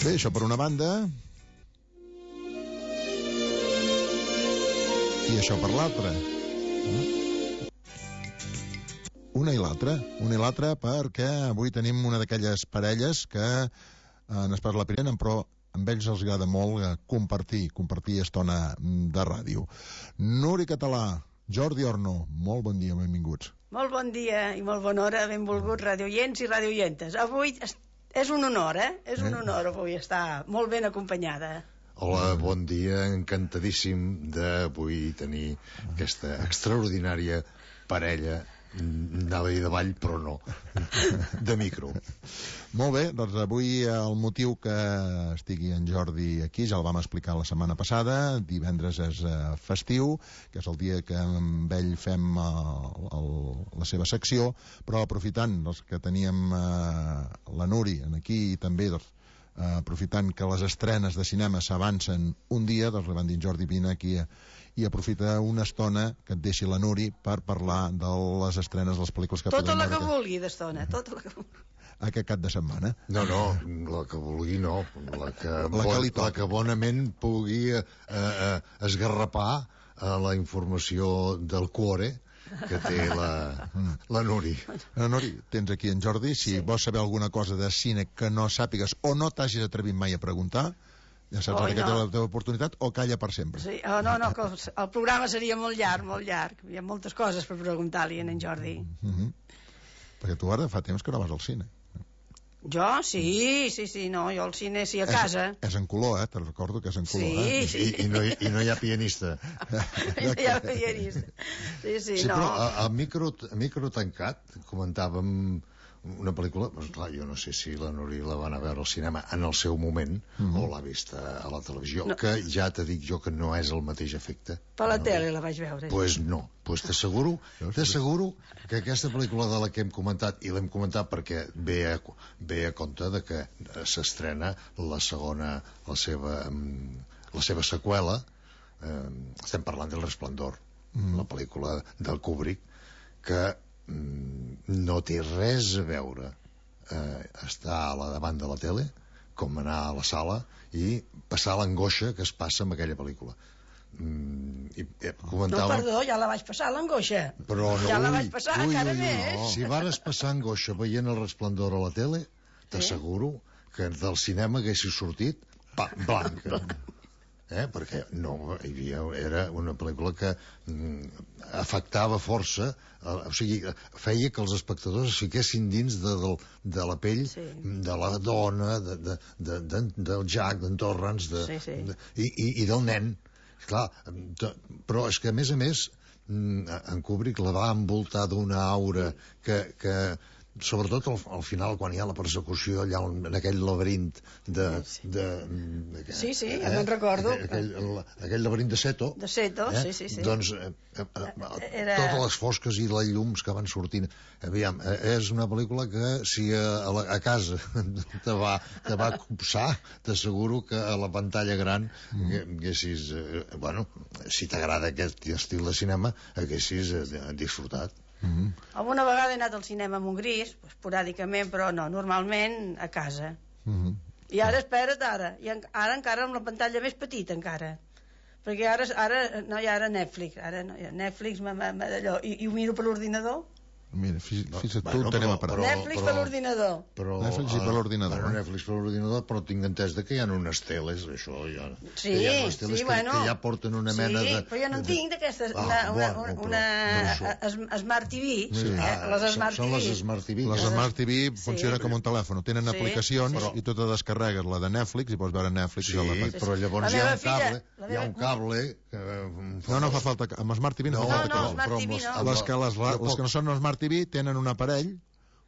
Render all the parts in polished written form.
Bé, això per una banda. I això per l'altra. Una i l'altra perquè avui tenim una d'aquelles parelles que en Espart la Pirena, però amb ells els agrada molt compartir estona de ràdio. Núria Català, Jordi Orno, molt bon dia, benvinguts. Molt bon dia i molt bona hora, benvolguts radioients i radioientes. Avui és un honor, És un honor avui estar molt ben acompanyada. Hola, bon dia, encantadíssim d'avui tenir aquesta extraordinària parella, anava a dir de ball, però no, de micro. Molt bé, doncs avui el motiu que estigui en Jordi aquí ja el vam explicar la setmana passada. Divendres és festiu, que és el dia que amb ell fem la seva secció, però aprofitant que teníem la Núria aquí i també aprofitant que les estrenes de cinema s'avancen un dia, doncs li van dir Jordi, vine aquí i aprofita una estona que et deixi la Núria per parlar de les estrenes de les pel·lícules que tota la que vulgui d'estona, tota la que vulgui. Aquest cap de setmana. No, la que vulgui no, la que bonament pugui esgarrapar la informació del cuore que té la Núria. Núria, tens aquí en Jordi, si vols saber alguna cosa de cine que no sàpigues o no t'hagis atrevit mai a preguntar, ja saps que té la teva oportunitat, o calla per sempre. Sí, no, que el programa seria molt llarg. Hi ha moltes coses per preguntar-li a en Jordi. Perquè tu ara fa temps que no vas al cine. Jo? Sí, no, jo al cine sí, a casa. És en color, te'n recordo que és en color. Sí. I no hi ha pianista. No hi ha pianista. Sí, no. Però a micro tancat comentàvem una pel·lícula, doncs clar, jo no sé si la Núria la van a veure al cinema en el seu moment o l'ha vista a la televisió, que ja t'he dit jo que no és el mateix efecte. Per la tele la vaig veure. Pues no, t'asseguro que aquesta pel·lícula de la que hem comentat, i l'hem comentat perquè ve a compte de que s'estrena la seva seqüela, estem parlant del Resplendor, la pel·lícula del Kubrick, que no té res a veure estar a la davant de la tele com anar a la sala i passar l'angoixa que es passa amb aquella pel·lícula. No, perdó, ja la vaig passar l'angoixa, però no, ja la vaig passar encara més. Si vares passar angoixa veient el Resplendor a la tele, t'asseguro que del cinema haguessis sortit blanca. Perquè no, era una pel·lícula que afectava força, o sigui, feia que els espectadors es fiquessin dins de la pell de la dona, del Jack, d'en Torrance i del nen. Clar, però és que a més en Kubrick la va envoltar d'una aura que sobretot al final, quan hi ha la persecució allà en aquell laberint me'n recordo, aquell laberint de Seto, doncs totes les fosques i les llums que van sortint, aviam, és una pel·lícula que si a casa te va copsar, t'asseguro que a la pantalla gran haguessis, si t'agrada aquest estil de cinema, haguessis disfrutat. Alguna vegada he anat al cinema amb un gris, esporàdicament, però no, normalment a casa. I ara, espera't, ara encara amb la pantalla més petita encara, perquè ara no hi ha Netflix, Netflix d'allò, i ho miro per l'ordinador. Mira, fixa't tu, tenem a parar. Netflix per l'ordinador. Netflix per l'ordinador. Netflix per l'ordinador, però tinc entès que hi ha unes teles, això ja. Sí, que ja porten una mena de... Sí, però jo no en tinc d'aquestes, una Smart TV, les Smart TV. Són les Smart TV. Les Smart TV funcionen com un telèfon, tenen aplicacions i tu te descarregues la de Netflix i pots veure Netflix. Sí, però llavors hi ha un cable... No fa falta, amb Smart TV no fa falta cable. Les que no són Smart TV tenen un aparell.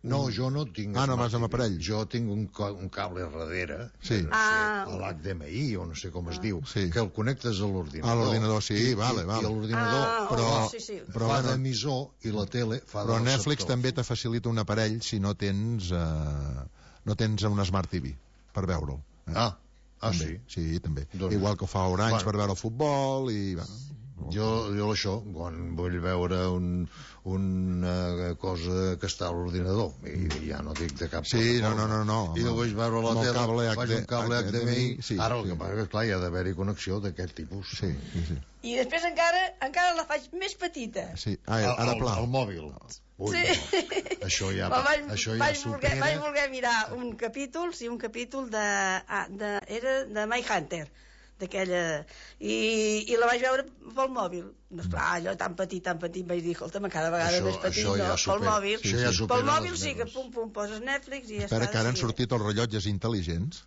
No, jo no tinc no vas amb aparell. Jo tinc un cable darrere, l'HDMI o no sé com es diu, que el connectes a l'ordinador. A l'ordinador, sí, vale. I l'ordinador fa d'emissor i la tele fa de receptor. Però Netflix també te facilita un aparell si no tens una Smart TV per veure'l. Sí? Sí, també. Igual que ho fa Orange per veure el futbol i... Jo això, quan vull veure una cosa que està a l'ordinador, i ja no dic de cap Sí, no. I ho vull veure a la Amb el tele, cable faig un cable HDMI, sí, ara el sí. que passa és clar, hi ha d'haver-hi connexió d'aquest tipus. Sí. I després encara la faig més petita. Sí. Ara pla. El mòbil. Ui, Sí. no. Això ja vaig supera. voler mirar un capítol era de Mindhunter, d'aquella, i la vaig veure pel mòbil. No, esclar, allò tan petit, vaig dir, escolta'm, cada vegada més petit, això no? ja Pel mòbil, això ja supera pel mòbil les sí que meves. poses Netflix i ja Espera, està. que ara han sortit els rellotges intel·ligents.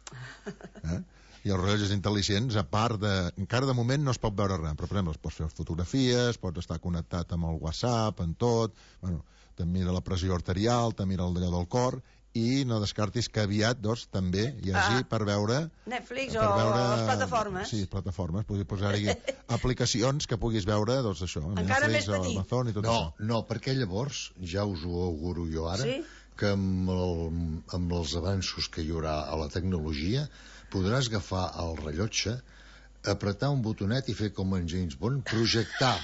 I els rellotges intel·ligents, a part de... Encara de moment no es pot veure res, però per exemple, pots fer fotografies, pots estar connectat amb el WhatsApp, en tot... Bueno, te mira la pressió arterial, te mira d'allò del cor, i no descartis que aviat, doncs, també hi hagi per veure... Netflix o les plataformes. Sí, plataformes. Podria posar-hi aplicacions que puguis veure, doncs, això. Encara Netflix, més petit. Amazon i tot això. No, perquè llavors, ja us ho auguro jo ara, Sí? que amb els avanços que hi haurà a la tecnologia podràs agafar el rellotge, apretar un botonet i fer com en James Bond, projectar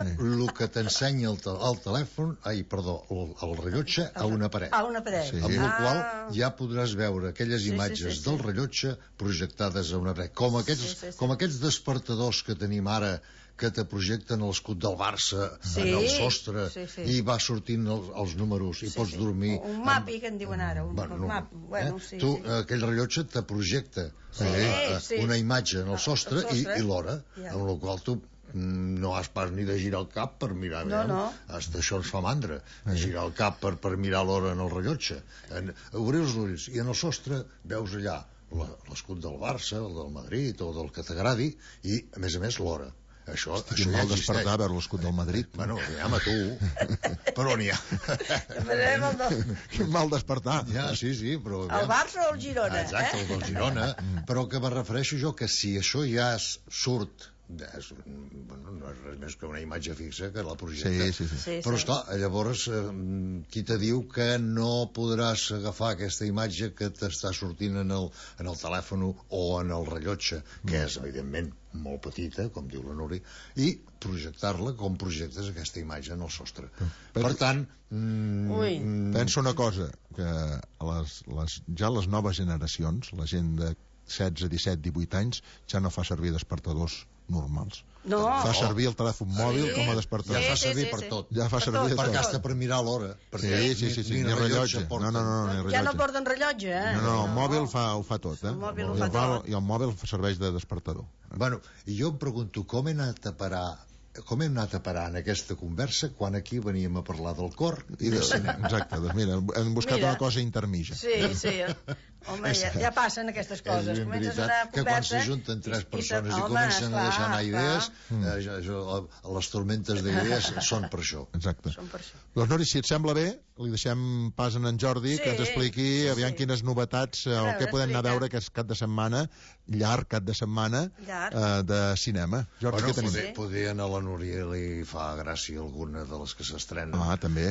el que t'ensenya el telèfon, el rellotge a una paret. A una paret. Sí. Amb la qual ja podràs veure aquelles imatges del rellotge projectades a una paret. Com aquests despertadors que tenim ara, que te projecten l'escut del Barça en el sostre i va sortint els números i pots dormir... Un mapi, que en diuen ara. Aquell rellotge te projecta una imatge en el sostre i l'hora, amb la qual tu no has pas ni de girar el cap per mirar bé. Hasta això ens fa mandra, girar el cap per mirar l'hora en el rellotge. Obrir els ulls i en el sostre veus allà l'escut del Barça, el del Madrid o del que t'agradi i, a més, l'hora. Això ja mal despertar a veure l'escut del Madrid. Bueno, aviam a tu, però n'hi ha. Quin mal despertar. Ja, sí, però... El Barça o el Girona. Exacte, el del Girona. Però que me refereixo jo que si això ja surt, no és res més que una imatge fixa que la projecta. Sí. Però esclar, llavors qui te diu que no podràs agafar aquesta imatge que t'està sortint en el telèfon o en el rellotge, que és evidentment molt petita, com diu la Núria, i projectar-la com projectes aquesta imatge en el sostre. Per tant... Penso una cosa, que ja les noves generacions, la gent de 16, 17, 18 anys, ja no fa servir despertadors normals. No. Fa servir el telèfon mòbil com a despertador. Ja fa servir per tot. Ja fa servir per hasta per mirar l'hora. Sí, ni rellotge. No, ja no porten rellotge, No, el mòbil ho fa tot, El mòbil ho fa tot. I el mòbil serveix de despertador. Bueno, i jo em pregunto com hem anat a parar en aquesta conversa quan aquí veníem a parlar del cor i del cinema. Exacte, doncs mira, hem buscat una cosa intermitja. Sí. Home, ja passen aquestes coses. És veritat que quan s'ajunten tres persones i comencen a deixar anar idees, les tormentes d'idees són per això. Exacte. Doncs Nori, si et sembla bé, li deixem pas en Jordi que ens expliqui aviam quines novetats o què podem anar a veure aquest cap de setmana, llarg cap de setmana de cinema. Jordi, què tenim? Poder a la Núria li fa gràcia alguna de les que s'estrenen. També.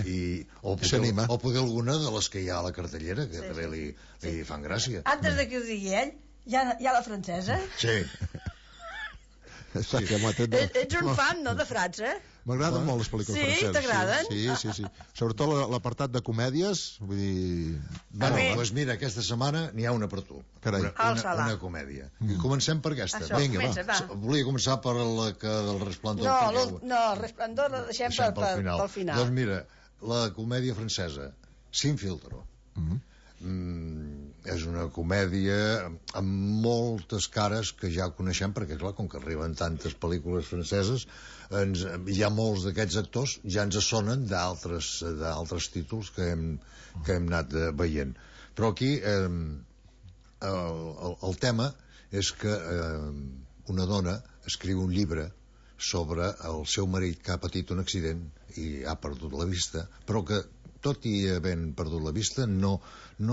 O poder alguna de les que hi ha a la cartellera, que també li fan gràcia. Antes de que ho digui ell, hi ha la francesa? Sí. Ets un fan, no, de França? M'agraden molt les pel·lícules franceses. Sí, t'agraden? Sí. Sobretot l'apartat de comèdies, vull dir... Doncs mira, aquesta setmana n'hi ha una per tu. Carai. Una comèdia. I comencem per aquesta. Vinga, va. Volia començar per la del Resplendor. No, el Resplendor la deixem pel final. Doncs mira, la comèdia francesa, Sin filtro. És una comèdia amb moltes cares que ja coneixem, perquè clar, com que arriben tantes pel·lícules franceses, hi ha molts d'aquests actors ja ens sonen d'altres títols que hem anat veient. Però aquí el tema és que una dona escriu un llibre sobre el seu marit que ha patit un accident i ha perdut la vista, però que tot i havent perdut la vista no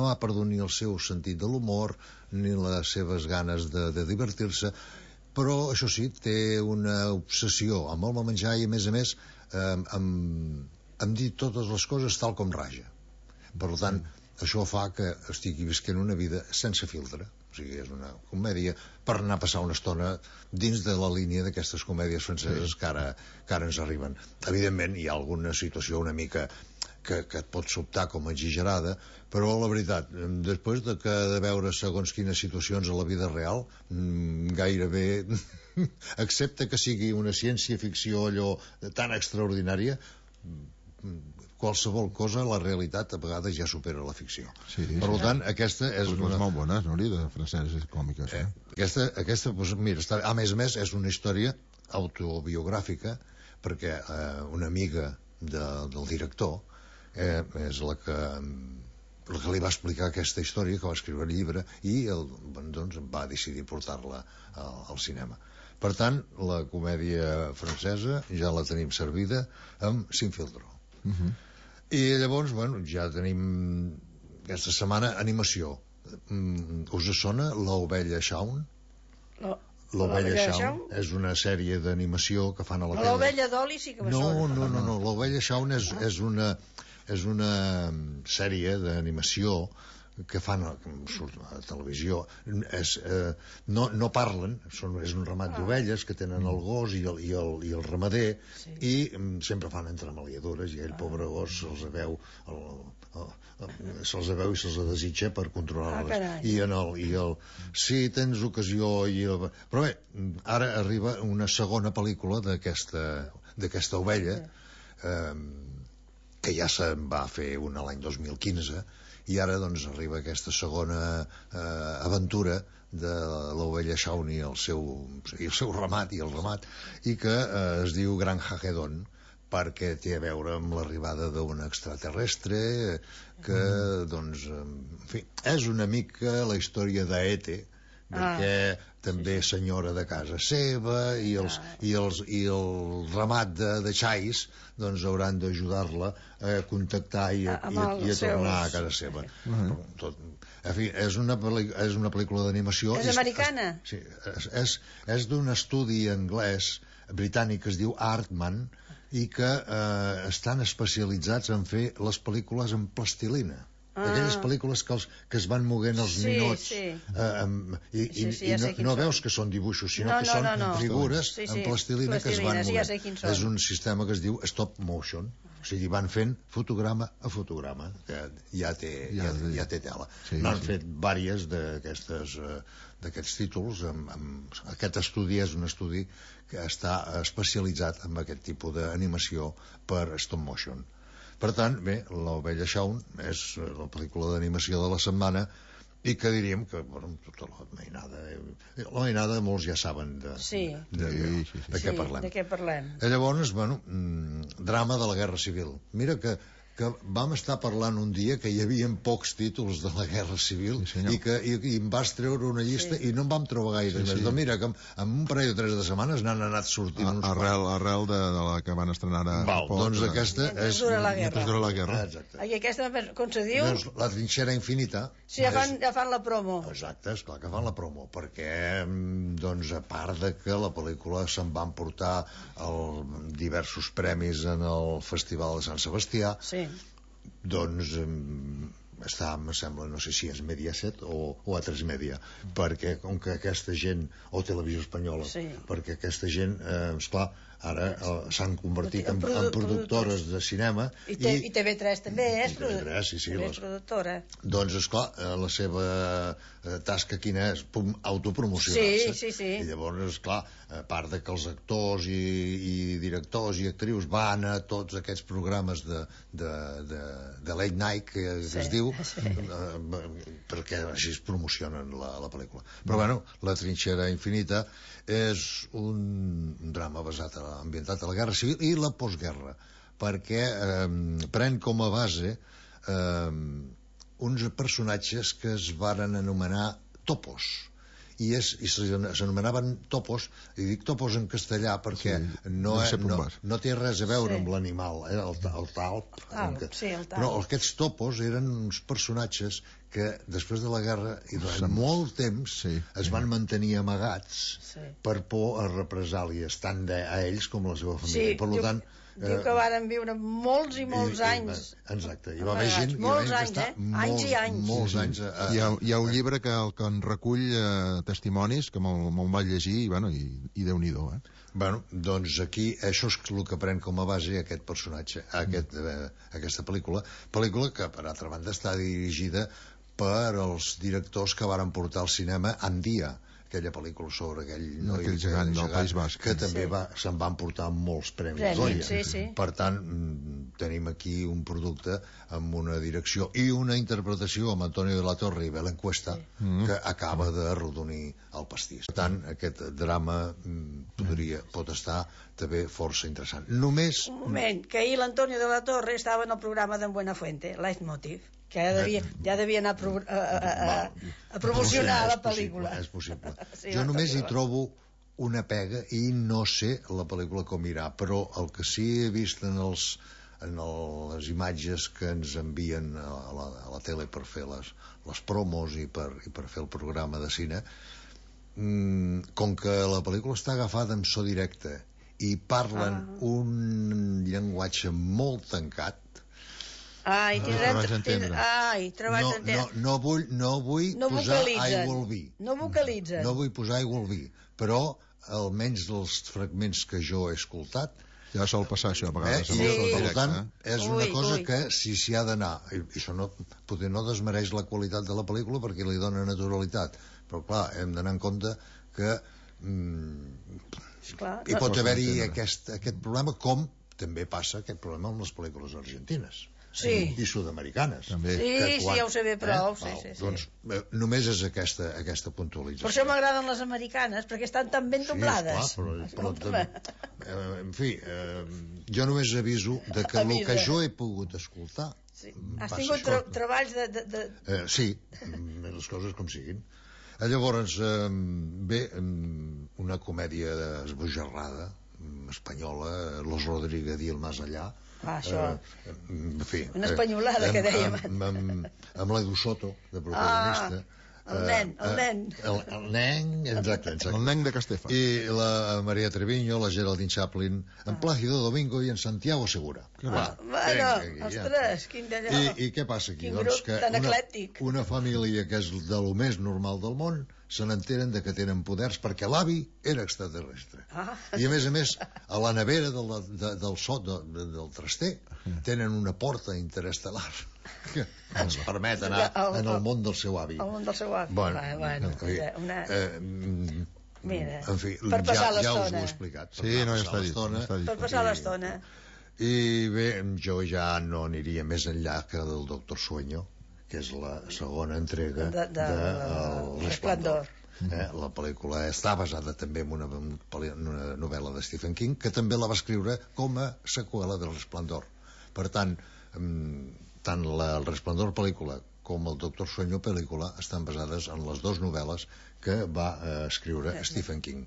ha perdut ni el seu sentit de l'humor ni les seves ganes de divertir-se, però això sí, té una obsessió amb el menjar i a més amb dir totes les coses tal com raja. Per tant, això fa que estigui visquent una vida sense filtre. O sigui, és una comèdia per anar a passar una estona dins de la línia d'aquestes comèdies franceses que ara ens arriben. Evidentment, hi ha alguna situació una mica que et pot sobtar com a exagerada, però la veritat, després de veure segons quines situacions a la vida real, gairebé, excepte que sigui una ciència-ficció allò tan extraordinària, qualsevol cosa, la realitat a vegades ja supera la ficció. Per tant, aquesta és una... molt bones, no?, de franceses còmiques. Aquesta, mira, a més, és una història autobiogràfica, perquè una amiga del director és la que li va explicar aquesta història, que va escriure el llibre, i doncs va decidir portar-la al cinema. Per tant, la comèdia francesa ja la tenim servida amb Sin Filtro. I llavors, bueno, ja tenim aquesta setmana animació. Us sona l'Ovella Shaun? L'Ovella Shaun és una sèrie d'animació que fan a la tele. L'Ovella Dolly sí que me sona. No, l'Ovella Shaun és una sèrie d'animació que fan a televisió. No parlen, és un ramat d'ovelles que tenen el gos i el ramader, i sempre fan entremaliadures, i ell, pobre gos, se'ls veu i se'ls desitja per controlar-les. Si tens ocasió... Però bé, ara arriba una segona pel·lícula d'aquesta ovella, que ja se'n va fer una l'any 2015, i ara doncs arriba aquesta segona aventura de l'Ovella Shaun i el seu ramat, i que es diu Gran Hagedon, perquè té a veure amb l'arribada d'un extraterrestre que, doncs, en fi, és una mica la història d'E.T., perquè també és senyora de casa seva, i el ramat de xais doncs hauran d'ajudar-la a contactar i a tornar a casa seva. En fi, és una pel·lícula d'animació. És americana? Sí, és d'un estudi anglès britànic que es diu Aardman, i que estan especialitzats en fer les pel·lícules en plastilina. Aquelles pel·lícules que es van moguent els ninots, i no veus que són dibuixos, sinó que són figures en plastilina que es van movent. És un sistema que es diu stop motion, o sigui, van fent fotograma a fotograma, que ja té tela. N'han fet diverses d'aquests títols. Aquest estudi és un estudi que està especialitzat en aquest tipus d'animació per stop motion. Per tant, bé, l'Ovella Shaun és la pel·lícula d'animació de la setmana, i que diríem que, bueno, tota la mainada molts ja saben de què parlem. Llavors, bueno, drama de la Guerra Civil. Mira que vam estar parlant un dia que hi havia pocs títols de la Guerra Civil, i em vas treure una llista i no en vam trobar gaire més. Doncs mira, que en un parell o 3 de setmanes n'han anat sortint uns arrel de la que van estrenar ara. Doncs aquesta és... Mentre dura la guerra. I aquesta, com se diu? La trinxera infinita. Sí, ja fan la promo. Exacte, esclar que fan la promo, perquè, doncs, a part de que la pel·lícula se'n van portar diversos premis en el Festival de Sant Sebastià, doncs està, em sembla, no sé si és Mediaset o A3 Media, perquè com que aquesta gent, o Televisió Espanyola, perquè aquesta gent, esclar, ara s'han convertit en productores de cinema, i TV3 també és productora. Doncs, esclar, la seva tasca quina és? Autopromocionar-se. I llavors, esclar, a part de que els actors i directors i actrius van a tots aquests programes de late night, que es diu, perquè així es promocionen la pel·lícula. Però bueno, La trinxera infinita és un drama ambientat a la Guerra Civil i la postguerra, perquè pren com a base uns personatges que es varen anomenar topos, i s'anomenaven topos, i dic topos en castellà perquè no té res a veure amb l'animal, el talp, però aquests topos eren uns personatges que després de la guerra i durant molt temps es van mantenir amagats per por a represàlies tant a ells com a la seva família. Per tant, Diu que varen viure molts i molts anys. Exacte, hi va haver gent molts anys, anys i anys. Molts anys. Hi ha un llibre que en recull testimonis que me'l vaig llegir i Déu-n'hi-do, Bueno, doncs aquí això és el que pren com a base aquest personatge, aquesta pel·lícula que per altra banda està dirigida per els directors que varen portar al cinema Andia, aquella pel·lícula sobre aquell gegant del País Basc, que també se'n van portar molts premis Goya. Sí. Per tant, tenim aquí un producte amb una direcció i una interpretació amb Antonio de la Torre i Belén Cuesta que acaba de rodonir el pastís. Per tant, aquest drama pot estar també força interessant. Només... Un moment, que ahir l'Antonio de la Torre estava en el programa d'en Buenafuente, Leitmotiv, que ja devia anar a promocionar la pel·lícula. És possible. Sí, jo només hi trobo una pega i no sé la pel·lícula com irà, però el que sí he vist en les imatges que ens envien a la tele per fer les promos i per fer el programa de cine, com que la pel·lícula està agafada en so directe i parlen un llenguatge molt tancat, treballs d'entendre. No vull posar aigua al vi. No vocalitzen. No vull posar aigua al vi, però almenys dels fragments que jo he escoltat ja sol passar això a vegades. Per tant, és una cosa que si s'hi ha d'anar, i això potser no desmereix la qualitat de la pel·lícula perquè li dona naturalitat, però clar, hem d'anar en compte que hi pot haver-hi aquest problema, com també passa aquest problema amb les pel·lícules argentines i sud-americanes. Sí, ja ho sé bé prou. Doncs només és aquesta puntualització. Per això m'agraden les americanes, perquè estan tan ben doblades. Però en fi, jo només aviso de que el que jo he pogut escoltar... Has tingut treballs de... Sí, les coses com siguin. Llavors, bé, una comèdia esbojarrada espanyola, Los Rodríguez i el Más Allá, en fi, una espanyolada que dèiem amb l'Edu Soto de protagonista, el nen, exacte, el nen de Castefa, i la Maria Treviño, la Geraldine Chaplin, en Plácido Domingo i en Santiago Segura. Ostres, quin d'allò. I què passa aquí? Quin grup tan eclèctic. Una família que és de lo més normal del món se n'enteren de que tenen poders perquè l'avi era extraterrestre. I a més, a la nevera del traster tenen una porta interestel·lar que ens permet anar en el món del seu avi. El món del seu avi. Mira, per passar l'estona. Ja us ho he explicat. Sí, no, ja està dit. Per passar l'estona. I bé, jo ja no aniria més enllà que del Doctor Sueño, que és la segona entrega de Resplandor. La pel·lícula està basada també en una novel·la de Stephen King, que també la va escriure com a seqüela del Resplandor. Per tant, tant el Resplandor pel·lícula com el Doctor Sueño pel·lícula estan basades en les dues novel·les que va escriure Stephen King.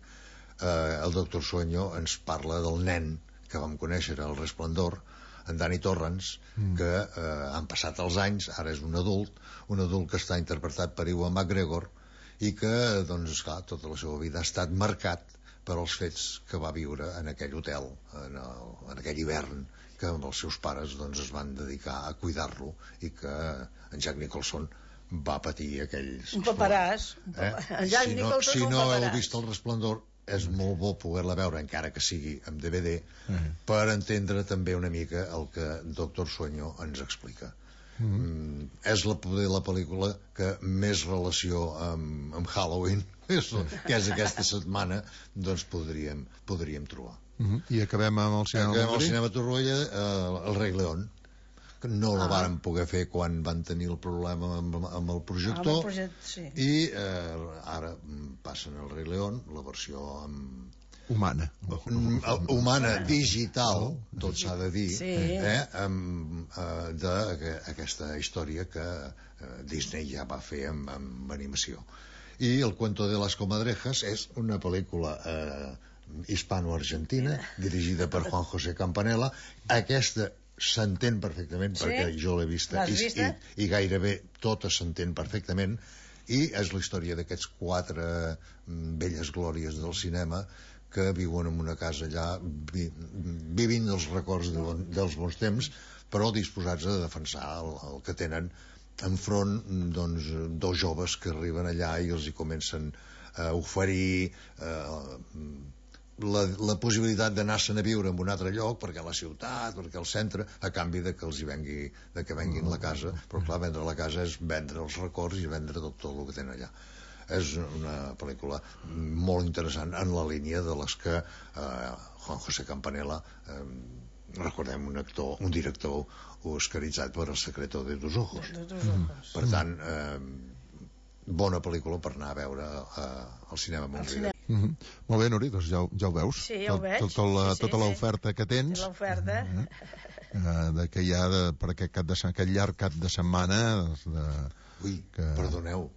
El Doctor Sueño ens parla del nen que vam conèixer al Resplandor, en Danny Torrance, que han passat els anys, ara és un adult que està interpretat per Ewan McGregor i que, doncs, esclar, tota la seva vida ha estat marcat per als fets que va viure en aquell hotel, en aquell hivern, que amb els seus pares es van dedicar a cuidar-lo i que en Jack Nicholson va patir aquells... Un paperàs. Si no heu vist el Resplandor, és molt bo poder-la veure, encara que sigui amb DVD, per entendre també una mica el que Doctor Sueño ens explica. És la pel·lícula que més relació amb Halloween, que és aquesta setmana, doncs podríem trobar. I acabem amb el cinema Torroella, el Rei León, que no la varen poder fer quan van tenir el problema amb el projector, i ara passen el Rei León, la versió humana, digital, tot s'ha de dir, d'aquesta història que Disney ja va fer amb animació. I El cuento de las comadrejas és una pel·lícula hispano-argentina dirigida per Juan José Campanella. Aquesta s'entén perfectament, perquè jo l'he vista i gairebé tota s'entén perfectament, i és la història d'aquests 4 velles glòries del cinema que viuen en una casa allà, vivint dels records dels bons temps, però disposats a defensar el que tenen enfront, doncs, dos joves que arriben allà i els hi comencen a oferir la possibilitat d'anar-se'n a viure en un altre lloc, perquè a la ciutat, perquè al centre, a canvi de que els hi venguin la casa. Però clar, vendre la casa és vendre els records i vendre tot el que tenen allà. És una pel·lícula molt interessant en la línia de les que Juan José Campanella, recordem, un director oscaritzat per El secreto de tus ojos. Per tant, bona pel·lícula per anar a veure al cinema Montreal. Molt bé, Nuri, doncs ja ho veus. Sí, ja ho veig. Tota l'oferta que tens. L'oferta. Que hi ha per aquest llarg cap de setmana. Ui, perdoneu,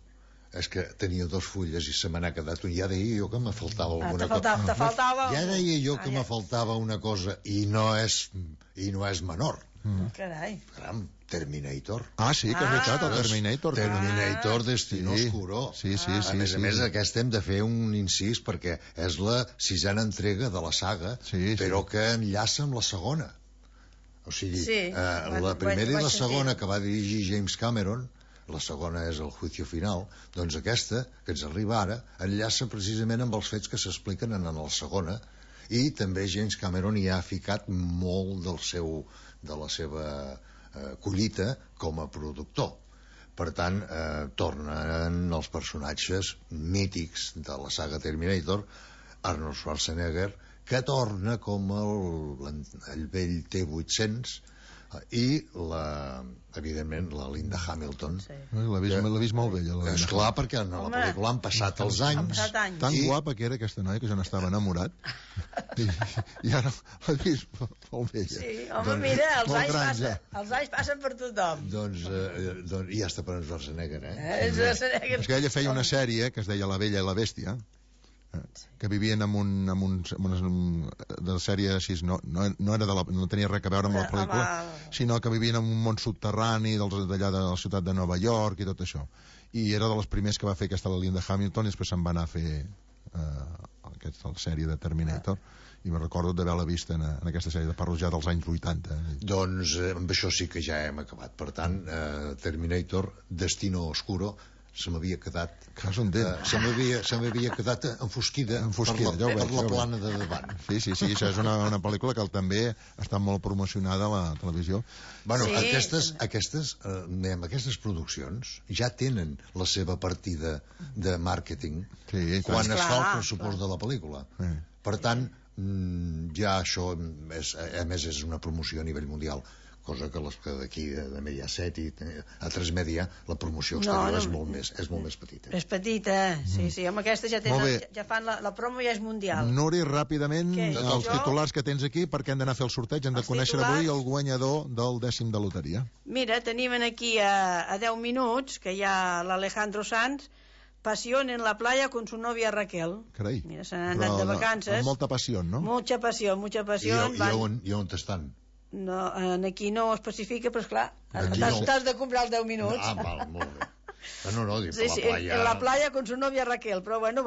és que tenia 2 fulles i se me n'ha quedat un. Ja deia jo que me faltava alguna cosa. Te faltava... Ja deia jo que me faltava una cosa i no és menor. Carai. Caram, Terminator. Sí, que és veritat, el Terminator. Terminator Destino Oscuro. Sí. A més, aquesta hem de fer un incís perquè és la 6a entrega de la saga, però que enllaça amb la segona. O sigui, la primera i la segona que va dirigir James Cameron, la segona és El juicio final, doncs aquesta, que ens arriba ara, enllaça precisament amb els fets que s'expliquen en la segona, i també James Cameron hi ha ficat molt de la seva collita com a productor. Per tant, tornen els personatges mítics de la saga Terminator, Arnold Schwarzenegger, que torna com el vell T-800, i evidentment la Linda Hamilton. L'he vist molt bella. Esclar, perquè en la pel·lícula han passat els anys. Tan guapa que era aquesta noia que jo n'estava enamorat, i ara l'he vist molt bella. Sí, home, mira, els anys passen per tothom. Doncs ja està per en Schwarzenegger, És que ella feia una sèrie que es deia La Bella i la Bèstia, que vivien en de la sèrie així, no tenia res a veure amb la pel·lícula, sinó que vivien en un món subterrani d'allà de la ciutat de Nova York i tot això, i era de les primers que va fer aquesta la Linda Hamilton, i després se'n va anar a fer la sèrie de Terminator, i me recordo d'haver-la vist en aquesta sèrie de parlo ja dels anys 80. Doncs amb això sí que ja hem acabat. Per tant, Terminator Destino Oscuro se m'havia quedat enfosquida per la plana de davant. Sí, això és una pel·lícula que també està molt promocionada a la televisió. Bueno, aquestes produccions ja tenen la seva partida de màrqueting quan es fa el pressupost de la pel·lícula. Per tant, ja això a més és una promoció a nivell mundial, cosa que les que d'aquí de Mediaset i a Transmedia la promoció exterior és molt més petita. És petita, sí, amb aquesta ja fan la promo, ja és mundial. Nuri, ràpidament, els titulars que tens aquí, perquè hem d'anar a fer el sorteig, hem de conèixer avui el guanyador del 10è de loteria. Mira, tenim aquí a 10 minuts que hi ha l'Alejandro Sanz, Pasión en la playa con su novia Raquel. Carai. Mira, se n'han anat de vacances. Amb molta passió, no? Mucha passió. I on estan? No, aquí no ho especifica, però esclar, t'has de comprar els 10 minuts. Val, molt bé. No, dic, sí, en la playa con su novia Raquel, però bueno,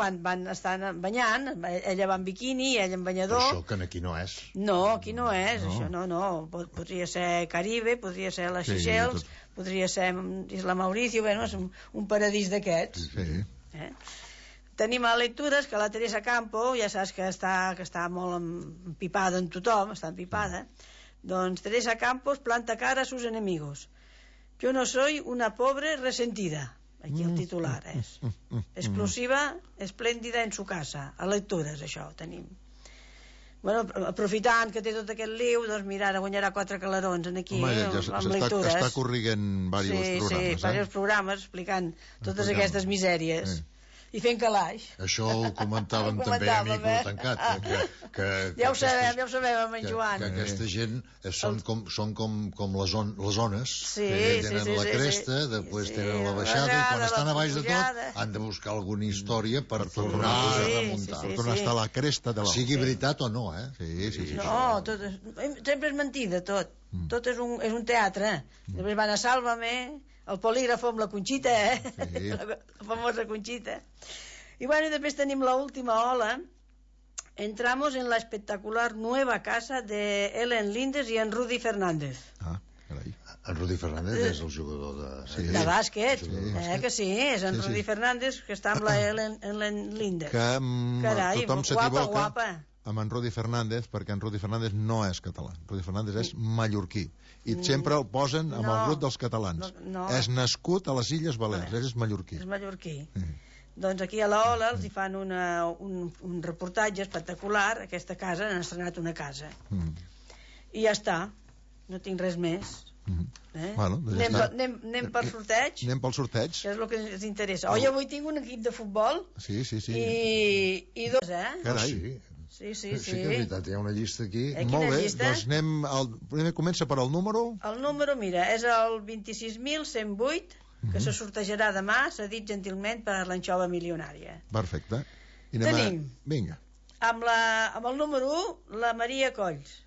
estan banyant, ella va en biquini, ell en banyador. Però això que aquí no és. No, aquí no és, això no. Podria ser Caribe, podria ser les Seychelles, podria ser Isla Mauricio, bueno, és un paradís d'aquests. Sí. Tenim a lectures que la Teresa Campo, ja saps que està molt empipada en tothom, està empipada. Doncs Teresa Campos planta cara a sus enemigos. Yo no soy una pobre resentida. Aquí el titular és. Exclusiva, esplèndida en su casa. A lectures, això, tenim. Bueno, aprofitant que té tot aquest liu, doncs mira, ara guanyarà 4 calarons aquí, amb lectures. Està corrigant diversos programes. Sí, diversos programes explicant totes aquestes misèries. I fent calaix. Això ho comentàvem també a Micro Tancat. Ja ho sabem amb en Joan. Que aquesta gent són com les ones, que tenen la cresta, després tenen la baixada, i quan estan a baix de tot han de buscar alguna història per tornar a remuntar. Per tornar a estar a la cresta de l'ou. Sigui veritat o no, Sí. No, sempre és mentida, tot. Tot és un teatre. Després van a Sálvame, el polígrafo amb la Conxita, la famosa Conxita. I bueno, després tenim l'última ola, entramos en la espectacular nueva casa de Ellen Lindes y en Rudy Fernández. Ah, carai. En Rudy Fernández és el jugador De bàsquet, que sí, és en Sí, sí. Rudy Fernández, que està amb la Ellen Lindes. Que Carai, tothom guapa, s'equivoca guapa. amb en Rudy Fernández, perquè en Rudy Fernández no és català. Rudy Fernández és mallorquí. I sempre el posen amb el grup dels catalans. No. És nascut a les Illes Balears, és mallorquí. És mallorquí. Doncs aquí a la Ola els hi fan un reportatge espectacular. Aquesta casa, han estrenat una casa. I ja està. No tinc res més. Bueno, doncs ja està. Anem per sorteig, Anem pel sorteig. que és el que ens interessa. Avui tinc un equip de futbol Sí. i dos, Carai. Sí, Sí. que és veritat, hi ha una llista aquí. Quina Molt bé, llista? doncs primer comença per al número. El número, mira, és el 26.108, que se sortejarà demà, s'ha dit gentilment per l'anxova milionària. Perfecte. I Tenim. Vinga. Amb el número 1, la Maria Colls.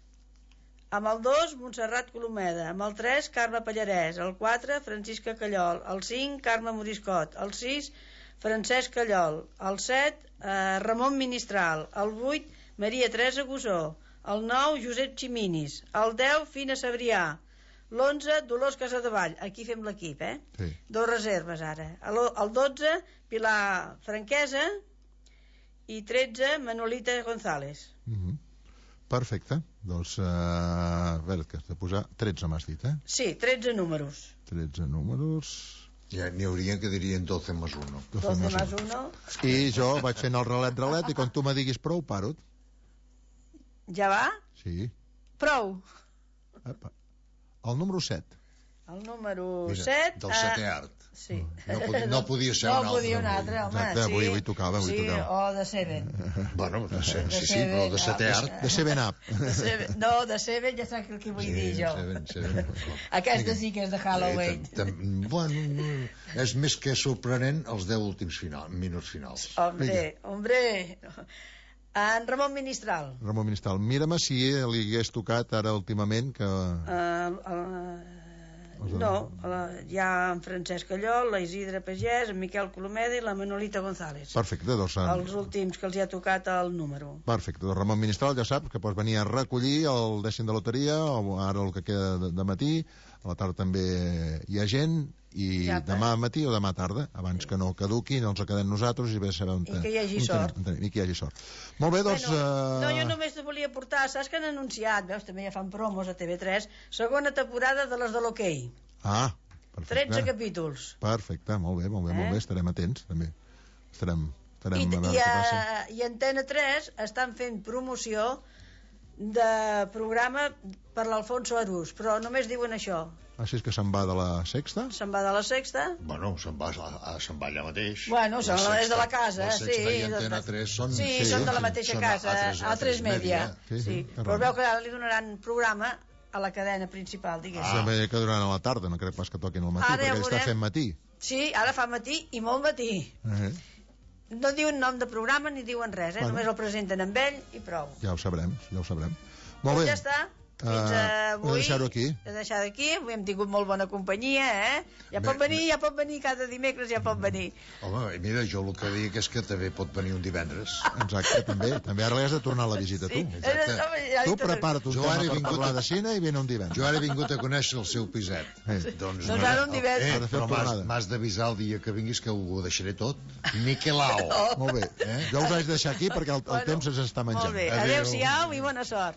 Amb el 2, Montserrat Colomeda. Amb el 3, Carme Pallarès. El 4, Francisca Callol. El 5, Carme Moriscot. El 6, Francesc Callol. El 7, Ramon Ministral. El 8, Maria Teresa Gusó. El 9, Josep Ximinis. El 10, Fina Sabrià. L'11, Dolors Casadevall. Aquí fem l'equip, Sí. 2 reserves ara. El 12, Pilar Franquesa. I 13, Manolita González. Perfecte. Doncs, a veure, que has de posar 13, m'has dit, Sí, 13 números. 13 números... Ja n'hi hauria que dirien 12 más 1. 12 más 1. I jo vaig fent el relet, i quan tu me diguis prou, paro. Ja va? Sí. Prou. Apa. El número 7. El número Mira, 7... del setè art. Sí. No podia ser un altre. No podia un altre, home. Exacte, sí. avui tocava, Sí, o de Seven. Bueno, sí, però de setè art. De ser ben up. No, de Seven ja saps el que vull dir jo. Aquesta sí que és de Halloween. Bueno, és més que sorprenent els 10 últims minuts finals. Hombre. En Ramon Ministral. Ramon Ministral, mira'm si li hagués tocat ara últimament que... No, hi ha en Francesc Callol, la Isidre Pagès, en Miquel Colomeda i la Manolita González. Perfecte, doncs... Els últims que els hi ha tocat el número. Perfecte, doncs Ramon Ministral ja saps que pots venir a recollir el dècim de loteria, o ara el que queda de matí, a la tarda també hi ha gent, i demà matí o demà tarda, abans que no caduqui, no ens quedem nosaltres i bé sabem... I que hi hagi sort. I que hi hagi sort. Molt bé, doncs... No, jo només te volia portar, saps que han anunciat, veus, també ja fan promos a TV3, segona temporada de les de l'hoquei. Ah, perfecte. 13 capítols. Perfecte, molt bé, estarem atents, també. Estarem a veure què passa. I Antena 3 estan fent promoció de programa per l'Alfonso Arús, però només diuen això. Així és que se'n va de la Sexta? Se'n va de la Sexta? Bueno, se'n va allà mateix. Bueno, és de la casa, la sí. La Sexta i Antena 3 són... Sí, són de la mateixa casa, A3 Media. Sí. Però veu que ara li donaran programa a la cadena principal, diguéssim. També que duran a la tarda, no crec pas que toquin al matí, perquè està fent matí. Sí, ara fa matí i molt matí. No diuen nom de programa ni diuen res, només el presenten amb ell i prou. Ja ho sabrem. Molt bé. Ja està. Fins avui. Deixar-ho aquí. Deixar d'aquí. Avui hem tingut molt bona companyia, Ja pot venir cada dimecres, ja pot venir. Home, mira, jo el que dic és que també pot venir un divendres. Exacte, també ara li has de tornar a la visita, tu. Tu prepara't un tema per parlar de cine i viene un divendres. Jo ara he vingut a conèixer el seu piset. Doncs ara un divendres. Però m'has d'avisar el dia que vinguis que ho deixaré tot. Niquelao. Molt bé. Jo us haig de deixar aquí perquè el temps ens està menjant. Molt bé. Adéu-siau i bona sort.